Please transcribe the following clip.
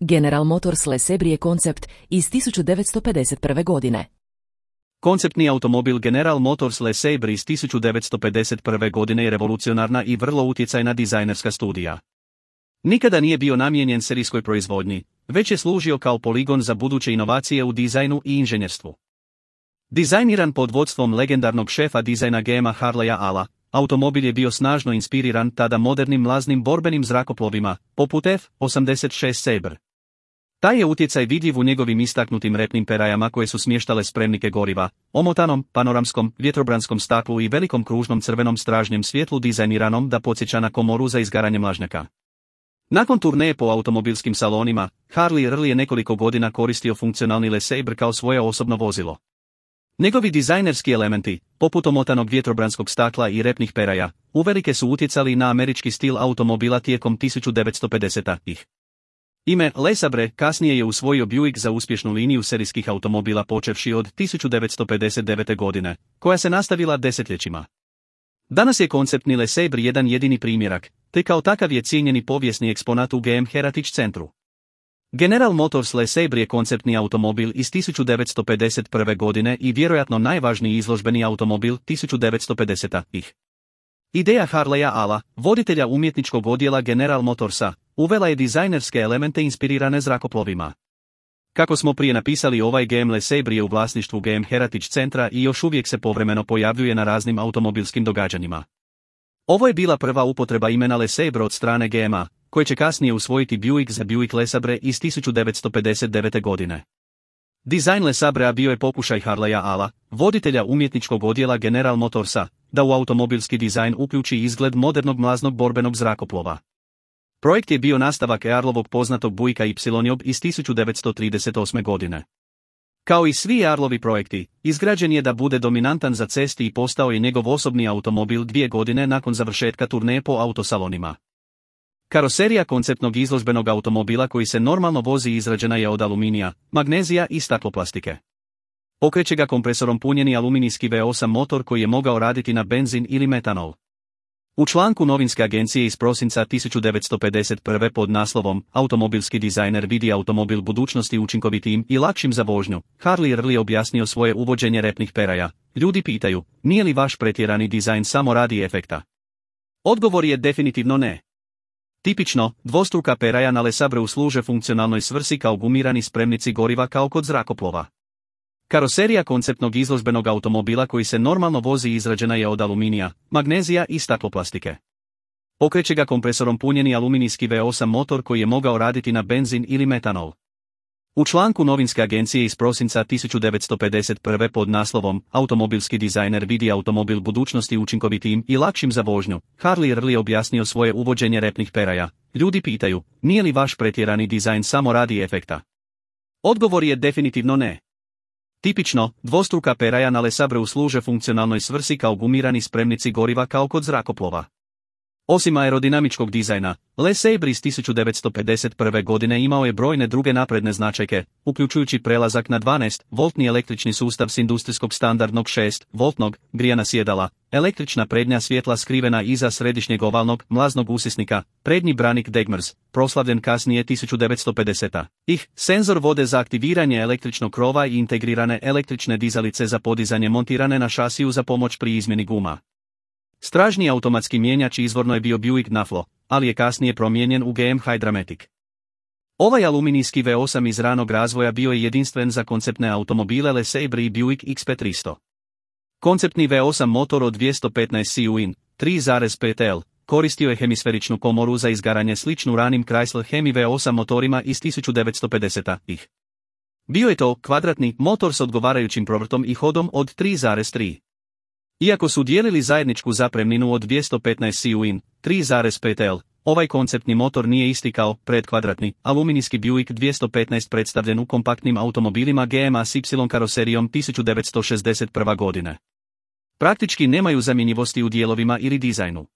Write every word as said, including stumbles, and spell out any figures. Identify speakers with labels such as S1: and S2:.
S1: General Motors Le Sabre je koncept iz tisuću devetsto pedeset prve. godine.
S2: Konceptni automobil General Motors Le Sabre iz tisuću devetsto pedeset prve. godine je revolucionarna i vrlo utjecajna dizajnerska studija. Nikada nije bio namijenjen serijskoj proizvodnji, već je služio kao poligon za buduće inovacije u dizajnu i inženjerstvu. Dizajniran pod vodstvom legendarnog šefa dizajna G M-a Harleya Alla, automobil je bio snažno inspiriran tada modernim mlaznim borbenim zrakoplovima, poput F osamdeset šest Sabre. Taj je utjecaj vidljiv u njegovim istaknutim repnim perajama koje su smještale spremnike goriva, omotanom, panoramskom, vjetrobranskom staklu i velikom kružnom crvenom stražnjem svjetlu dizajniranom da podsjeća na komoru za izgaranje mlažnjaka. Nakon turneje po automobilskim salonima, Harley Earl je nekoliko godina koristio funkcionalni Le Sabre kao svoje osobno vozilo. Njegovi dizajnerski elementi, poput omotanog vjetrobranskog stakla i repnih peraja, uvelike su utjecali na američki stil automobila tijekom tisuću devetsto pedesetih. Ime Le Sabre kasnije je usvojio Buick za uspješnu liniju serijskih automobila počevši od tisuću devetsto pedeset devete. godine, koja se nastavila desetljećima. Danas je konceptni Le Sabre jedan jedini primjerak, te kao takav je cijenjeni povijesni eksponat u G M Heritage centru. General Motors Le Sabre je konceptni automobil iz tisuću devetsto pedeset prve. godine i vjerojatno najvažniji izložbeni automobil tisuću devetsto pedesetih. Ideja Harleya Alla, voditelja umjetničkog odjela General Motorsa, uvela je dizajnerske elemente inspirirane zrakoplovima. Kako smo prije napisali, ovaj G M Le Sabre je u vlasništvu G M Heritage centra i još uvijek se povremeno pojavljuje na raznim automobilskim događanjima. Ovo je bila prva upotreba imena Le Sabre od strane G M-a, koje će kasnije usvojiti Buick za Buick Le Sabre iz tisuću devetsto pedeset devete. godine. Dizajn Le Sabrea bio je pokušaj Harleya Alla, voditelja umjetničkog odjela General Motorsa, da u automobilski dizajn uključi izgled modernog mlaznog borbenog zrakoplova. Projekt je bio nastavak Earlovog poznatog Buicka Y iz tisuću devetsto trideset osme. godine. Kao i svi Earlovi projekti, izgrađen je da bude dominantan za cesti i postao je njegov osobni automobil dvije godine nakon završetka turneje po autosalonima. Karoserija konceptnog izložbenog automobila koji se normalno vozi izrađena je od aluminija, magnezija i stakloplastike. Pokreće ga kompresorom punjeni aluminijski V osam motor koji je mogao raditi na benzin ili metanol. U članku novinske agencije iz prosinca tisuću devetsto pedeset prve. pod naslovom "Automobilski dizajner vidi automobil budućnosti učinkovitijim i lakšim za vožnju", Harley Earl je objasnio svoje uvođenje repnih peraja. Ljudi pitaju, nije li vaš pretjerani dizajn samo radi efekta? Odgovor je definitivno ne. Tipično, dvostruka peraja na Le Sabreu služe funkcionalnoj svrsi kao gumirani spremnici goriva kao kod zrakoplova. Karoserija konceptnog izložbenog automobila koji se normalno vozi izrađena je od aluminija, magnezija i stakloplastike. Pokreće ga kompresorom punjeni aluminijski V osam motor koji je mogao raditi na benzin ili metanol. U članku novinske agencije iz prosinca tisuću devetsto pedeset prve. pod naslovom "Automobilski dizajner vidi automobil budućnosti učinkovitijim i lakšim za vožnju", Harley Earl je objasnio svoje uvođenje repnih peraja. Ljudi pitaju, nije li vaš pretjerani dizajn samo radi efekta? Odgovor je definitivno ne. Tipično, dvostruka peraja na Le Sabreu služe funkcionalnoj svrsi kao gumirani spremnici goriva kao kod zrakoplova. Osim aerodinamičkog dizajna, Le Sabre iz tisuću devetsto pedeset prve. godine imao je brojne druge napredne značajke, uključujući prelazak na dvanaest voltni električni sustav s industrijskog standardnog šest voltnog grijana sjedala, električna prednja svjetla skrivena iza središnjeg ovalnog mlaznog usisnika, prednji branik Degmers, proslavljen kasnije tisuću devetsto pedesete. ih, senzor vode za aktiviranje električnog krova i integrirane električne dizalice za podizanje montirane na šasiju za pomoć pri izmjeni guma. Stražnji automatski mijenjač izvorno je bio Buick Naflo, ali je kasnije promijenjen u G M Hydramatic. Ovaj aluminijski V osam iz ranog razvoja bio je jedinstven za konceptne automobile Le Sabre i Buick X P tristo. Konceptni V osam motor od dvjesto petnaest cewin, tri zarez pet L, koristio je hemisferičnu komoru za izgaranje sličnu ranim Chrysler Hemi V osam motorima iz tisuću devetsto pedesetih. Bio je to kvadratni motor s odgovarajućim provrtom i hodom od tri zarez tri. Iako su dijelili zajedničku zapremninu od dvjesto petnaest cewin, tri zarez pet L, ovaj konceptni motor nije isti kao predkvadratni aluminijski Buick dvjesto petnaest predstavljen u kompaktnim automobilima G M-a s Y karoserijom tisuću devetsto šezdeset prve. godine. Praktički nemaju zamjenjivosti u dijelovima ili dizajnu.